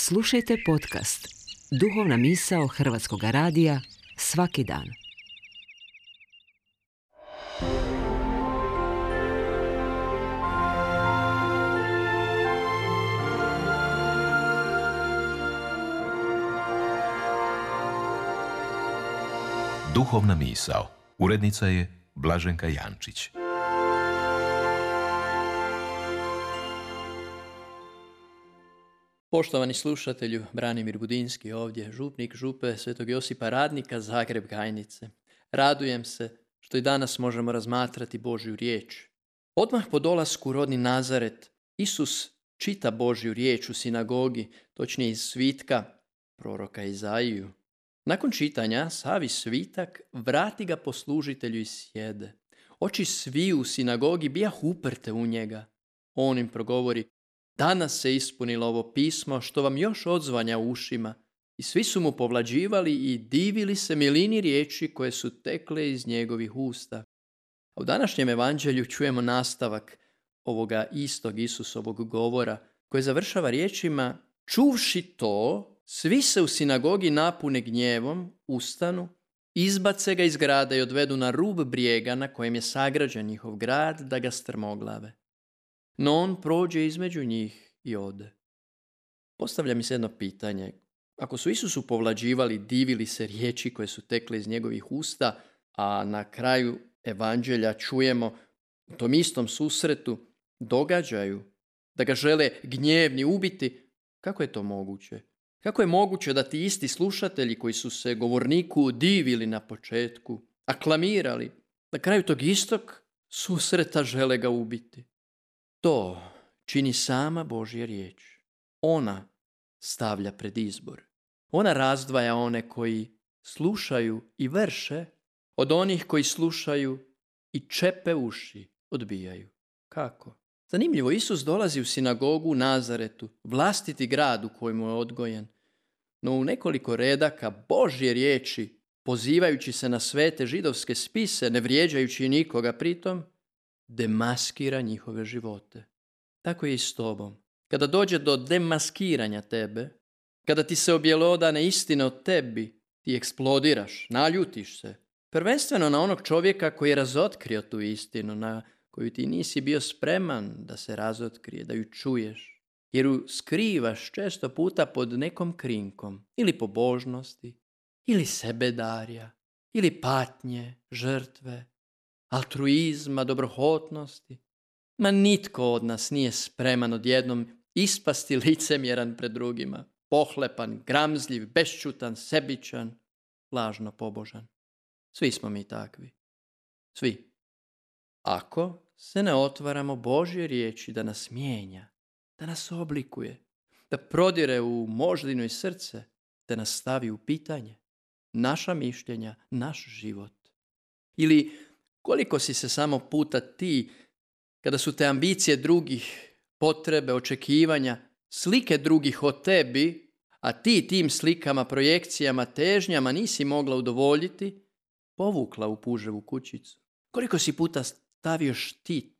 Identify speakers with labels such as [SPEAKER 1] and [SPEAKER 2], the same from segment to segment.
[SPEAKER 1] Slušajte podcast Duhovna misao Hrvatskog radija svaki dan.
[SPEAKER 2] Duhovna misao. Urednica je Blaženka Jančić.
[SPEAKER 3] Poštovani slušatelju, Branimir Budinski ovdje, župnik župe Svetog Josipa Radnika, Zagreb Gajnice. Radujem se što i danas možemo razmatrati Božju riječ. Odmah po dolasku u rodni Nazaret, Isus čita Božju riječ u sinagogi, točnije iz svitka proroka Izaiju. Nakon čitanja savi svitak, vrati ga poslužitelju i sjede. Oči sviju u sinagogi bijah uprte u njega. On im progovori: danas se ispunilo ovo pismo što vam još odzvanja u ušima. I svi su mu povlađivali i divili se milini riječi koje su tekle iz njegovih usta. A u današnjem evanđelju čujemo nastavak ovoga istog Isusovog govora koji završava riječima: čuvši to, svi se u sinagogi napune gnjevom, ustanu, izbace ga iz grada i odvedu na rub brijega na kojem je sagrađen njihov grad da ga strmoglave. No on prođe između njih i ode. Postavlja mi se jedno pitanje. Ako su Isusu povlađivali, divili se riječi koje su tekle iz njegovih usta, a na kraju evanđelja čujemo u tom istom susretu događaju da ga žele gnjevni ubiti, kako je to moguće? Kako je moguće da ti isti slušatelji koji su se govorniku divili na početku, aklamirali, na kraju tog istog susreta žele ga ubiti? To čini sama Božja riječ. Ona stavlja pred izbor. Ona razdvaja one koji slušaju i vrše od onih koji slušaju i čepe uši odbijaju. Kako? Zanimljivo, Isus dolazi u sinagogu u Nazaretu, vlastiti grad u kojemu je odgojen. No u nekoliko redaka Božje riječi, pozivajući se na svete židovske spise, ne vrijeđajući nikoga pritom, demaskira njihove živote. Tako je i s tobom. Kada dođe do demaskiranja tebe, kada ti se objelodane istine o tebi, ti eksplodiraš, naljutiš se. Prvenstveno na onog čovjeka koji je razotkrio tu istinu, na koju ti nisi bio spreman da se razotkrije, da ju čuješ. Jer ju skrivaš često puta pod nekom krinkom, ili pobožnosti, ili sebedarja, ili patnje, žrtve, altruizma, dobrohotnosti. Ma nitko od nas nije spreman odjednom ispasti licemjeran pred drugima, pohlepan, gramzljiv, bešćutan, sebičan, lažno pobožan. Svi smo mi takvi. Svi. Ako se ne otvaramo Božje riječi da nas mijenja, da nas oblikuje, da prodire u moždinu i srce, da nas stavi u pitanje, naša mišljenja, naš život. Ili koliko si se samo puta ti, kada su te ambicije drugih, potrebe, očekivanja, slike drugih o tebi, a ti tim slikama, projekcijama, težnjama nisi mogla udovoljiti, povukla u puževu kućicu. Koliko si puta stavio štit,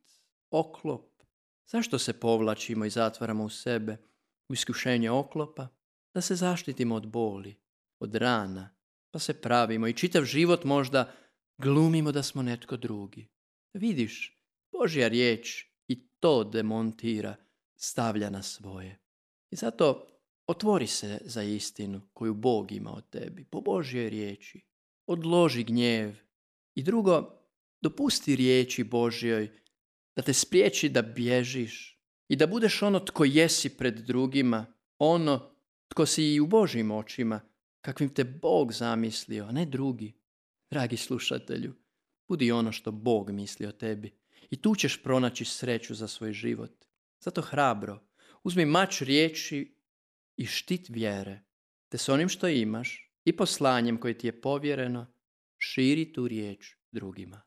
[SPEAKER 3] oklop? Zašto se povlačimo i zatvaramo u sebe, u iskušenje oklopa? Da se zaštitimo od boli, od rana, pa se pravimo i čitav život možda glumimo da smo netko drugi. Vidiš, Božja riječ i to demontira, stavlja na svoje. I zato otvori se za istinu koju Bog ima o tebi, po Božjoj riječi. Odloži gnjev. I drugo, dopusti riječi Božjoj da te spriječi da bježiš i da budeš ono tko jesi pred drugima, ono tko si i u Božjim očima, kakvim te Bog zamislio, a ne drugi. Dragi slušatelju, budi ono što Bog misli o tebi i tu ćeš pronaći sreću za svoj život. Zato hrabro, uzmi mač riječi i štit vjere, te s onim što imaš i poslanjem koje ti je povjereno, širi tu riječ drugima.